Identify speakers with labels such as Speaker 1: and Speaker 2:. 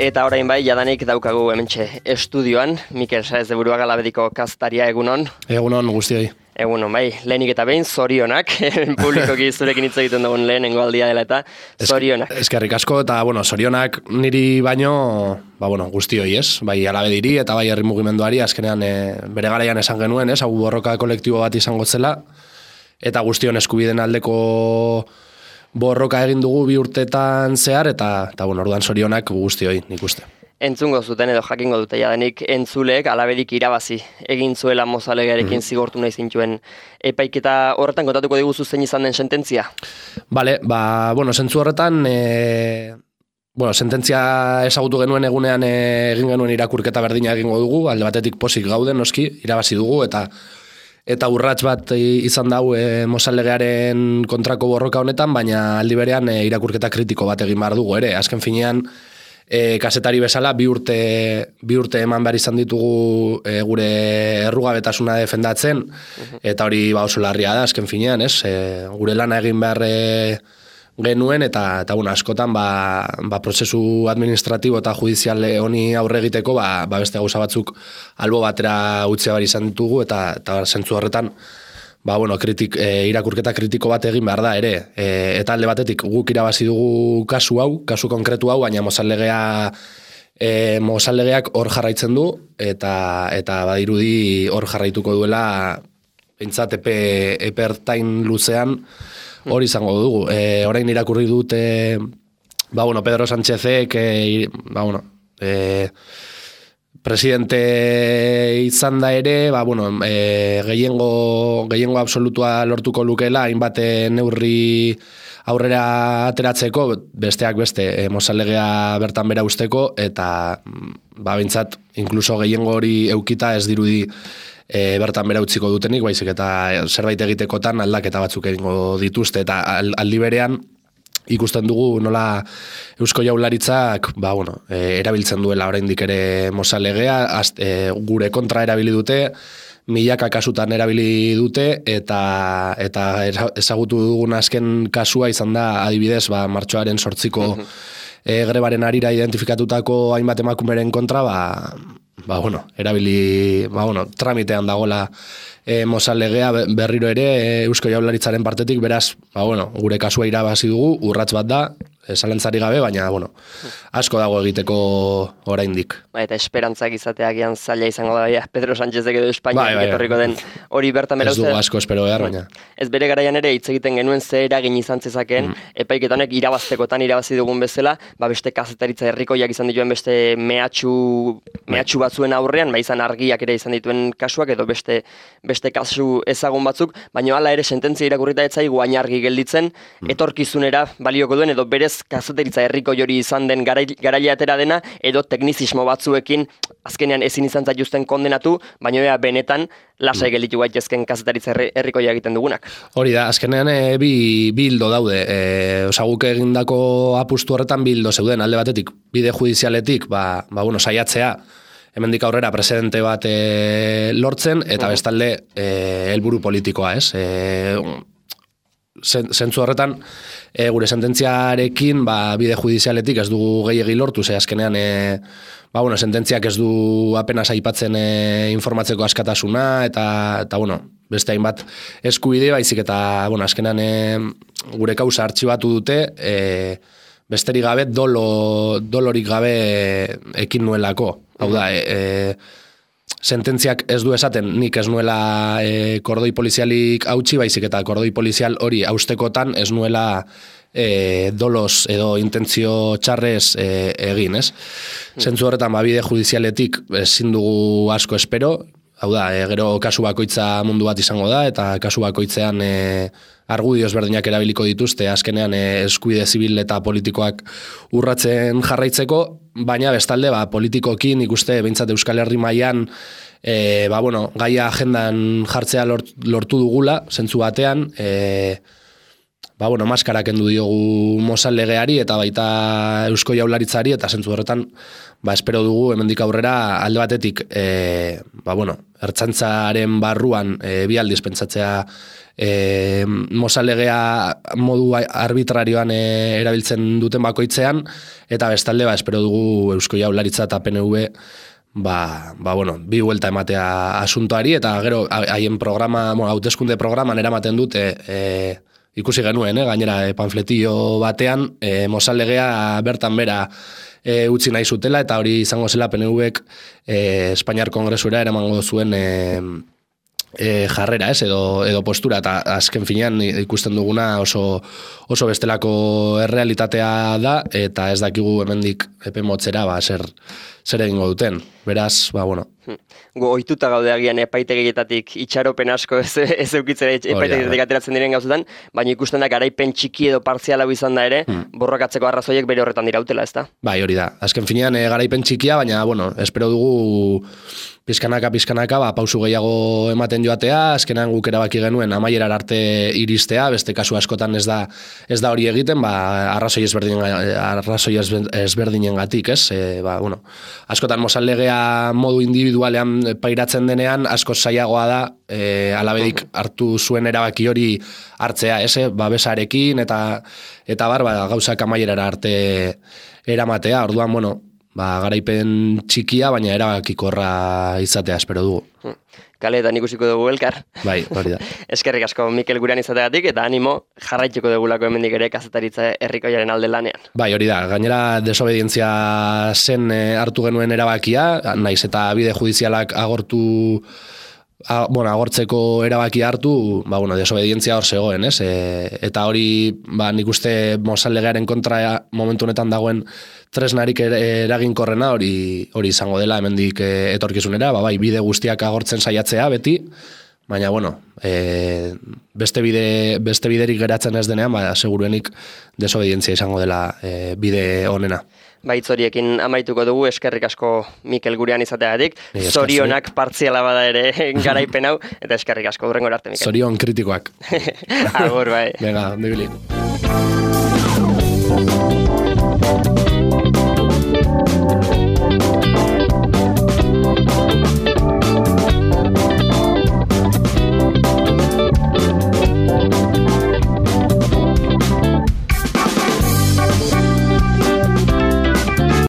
Speaker 1: Eta orain bai, jadanik daukagu hementxe estudioan, Mikel Saez de Buruaga Labediko kastaria, egunon.
Speaker 2: Egunon guztioi.
Speaker 1: Egunon bai, lehenik eta behin, zorionak, publikoki zurekin hitz egiten dugun lehenengo aldia dela eta zorionak.
Speaker 2: Eskerrik asko eta, zorionak niri baino, guztioi, ez? Bai Alabediri eta bai herri mugimenduari, azkenean bere garaian esan genuen, ez? Hau borroka kolektibo bat izango zela, eta guztion eskubideen aldeko borroka egin dugu 2 urtetan zehar, eta orduan zorionak guztioi, nik uste.
Speaker 1: Entzungo zuten edo jakingo dute jadanik entzuleek Alabedik irabazi egin zuela Mozalegearekin zigortu nahi zintuen epaiketa horretan kontatuko diguzu zein izan den sententzia?
Speaker 2: Bale, zentzu horretan, sententzia ezagutu genuen egunean egin genuen irakurketa berdina egingo dugu, alde batetik pozik gauden, noski, irabazi dugu, eta urrats bat izan dau Mozalegearen kontrako borroka honetan, baina aldi berean irakurketa kritiko bat egin behar dugu ere. Azken finean, kazetari bezala, 2 urte eman behar izan ditugu gure errugabetasuna defendatzen, eta hori oso larria da, azken finean, ez? Gure lana egin behar genuen, eta askotan prozesu administratibo eta judizial honi aurre egiteko beste gauza batzuk albo batera utzea behar izan ditugu, eta zentzu horretan irakurketa kritiko bat egin behar da ere. Eta alde batetik guk irabazi dugu kasu konkretu hau, baina Mozalegeak hor jarraitzen du, eta badirudi hor jarraituko duela pentsat epe ertain luzean hori izango dugu. Orain irakurri dut Pedro Sánchezek presidente izan da ere, gehiengo absolutua lortuko lukela, hainbat neurri aurrera ateratzeko, besteak beste, Mozalegea bertan bera usteko, eta bintzat, inkluso gehiengo hori eukita ez dirudi bertan bera utziko dutenik, baizik eta zerbait egitekotan aldaketa batzuk egingo dituzte, eta aldi berean, ikusten dugu nola Eusko Jaurlaritzak erabiltzen duela oraindik ere Mozalegea, gure kontra erabili dute, milaka kasutan erabili dute, eta ezagutu dugun azken kasua izan da adibidez martxoaren 8ko grebaren harira identifikatutako hainbat emakumeren kontra erabili tramitean dagoela Mozalegea berriro ere Eusko Jaurlaritzaren partetik, beraz, gure kasua irabazi dugu, urrats bat da, zalantzari gabe, baina, asko dago egiteko oraindik.
Speaker 1: Eta esperantzak izateagian zaila izango da, Pedro Sánchezek edo Espainiak etorriko den hori bertan bera
Speaker 2: uste. Ez dugu asko espero behar, baina.
Speaker 1: Ez bere garaian ere hitz egiten genuen ze eragin izan zezakeen, epaiketanek irabaztekotan irabazi dugun bezala, beste kazetaritza herrikoiak izan dituen beste mehatxu batzuen aurrean, izan argiak ere izan dituen kasuak, edo beste kasu ezagun batzuk, baina hala ere sententzia irakurrita ez zaigu hain argi gelditzen, etorkizunera balioko duen, edo berez kazeteritza herriko jori izan den garaile atera dena, edo teknizismo batzuekin azkenean ezin izan zaituzten kondenatu, baina benetan lasai gelditu gaitezken kazetaritza herrikoia egiten dugunak.
Speaker 2: Hori da, azkenean bi hildo daude. Guk egindako apustu horretan bi hildo zeuden, alde batetik, bide judizialetik, saiatzea, hemendik aurrera presidente bat lortzen, eta bestalde helburu politikoa, ez? Zentzu horretan, gure sententziarekin bide judizialetik ez dugu gehiegi lortu, azkenean sententziak ez du apenas aipatzen informatzeko askatasuna, eta beste hainbat eskubide, baizik eta azkenean gure kausa artxibatu dute, besterik gabe, dolorik gabe ekin nuelako. Hau da, sententziak ez du esaten nik ez nuela kordoi polizialik hautsi, baizik eta kordoi polizial hori haustekotan ez nuela dolos edo intentzio txarrez egin, ez? Zentzu horretan, bide judizialetik ezin dugu asko espero, hau da, gero kasu bakoitza mundu bat izango da, eta kasu bakoitzean argudioz berdinak erabiliko dituzte, azkenean eskubide zibil eta politikoak urratzen jarraitzeko, baina bestalde, politikokin ikuste behintzat Euskal Herri mailan gaia agendan jartzea lortu dugula, zentzu batean, bueno, maskara kendu diogu Mozal legeari eta baita Eusko Jaurlaritzari, eta zentzu horretan, espero dugu hemendik aurrera alde batetik, bueno, ertzaintzaren barruan bi aldiz pentsatzea Mozal legea modu arbitrarioan erabiltzen duten bakoitzean, eta bestalde, espero dugu Eusko Jaurlaritza eta PNV bueno, bi vuelta ematea asuntoari, eta gero haien programa, hauteskunde programan eramaten dute, ikusi genuen, gainera panfletillo batean, Mozal legea bertan bera utzi nahi zutela, eta hori izango zela PNVek Espainiar Kongresura eramango zuen jarrera, edo postura, eta azken finean ikusten duguna oso bestelako errealitatea da, eta ez dakigu hemendik epe motzera zer egingo duten. Beraz, bueno.
Speaker 1: Ohituta gaude agian epaitegietatik itxaropen asko ez eukitzera epaitegietatik ateratzen diren gauzetan, baina ikusten da garaipen txiki edo partziala izan da ere, borrokatzeko arrazoiek bere horretan dirautela, ez da?
Speaker 2: Bai, hori da. Azken finean garaipen txikia, baina, bueno, espero dugu pizkanaka, pausu gehiago ematen joatea, azkenan guk erabaki genuen amaierar arte iristea, beste kasu askotan ez da hori egiten, arrazoi ezberdinengatik, ez? Bueno, askotan Mozal legea modu individualean pairatzen denean, asko zailagoa da alabedik hartu zuen erabaki hori hartzea, ez? Babesarekin eta gauzak amaierara arte eramatea, orduan, bueno, garaipen txikia, baina erabakikorra izatea espero dugu.
Speaker 1: Kaleetan ikusiko dugu elkar.
Speaker 2: Bai, hori da.
Speaker 1: Eskerrik asko Mikel gurean izateagatik, eta animo jarraituko dugulako hemendik ere kazetaritza herrikoiaren alde lanean.
Speaker 2: Bai, hori da. Gainera desobedientzia zen hartu genuen erabakia, naiz eta bide judizialak agortzeko erabaki hartu, desobedientzia hor zegoen, ez? Eta hori, nik uste Mozal legearen kontra momentu honetan dagoen tresnarik eraginkorrena hori izango dela hemendik etorkizunera, bai, bide guztiak agortzen saiatzea beti, baina, bueno, beste biderik geratzen ez denean, seguruenik desobedientzia izango dela bide honena.
Speaker 1: Baitz horiekin amaituko dugu, eskerrik asko Mikel gurean izateagatik, zorionak partziala bada ere garaipen hau, eta eskerrik asko hurrengora arte, Mikel.
Speaker 2: Zorion kritikoak.
Speaker 1: Agur, bai.
Speaker 2: Venga, ondo ibili.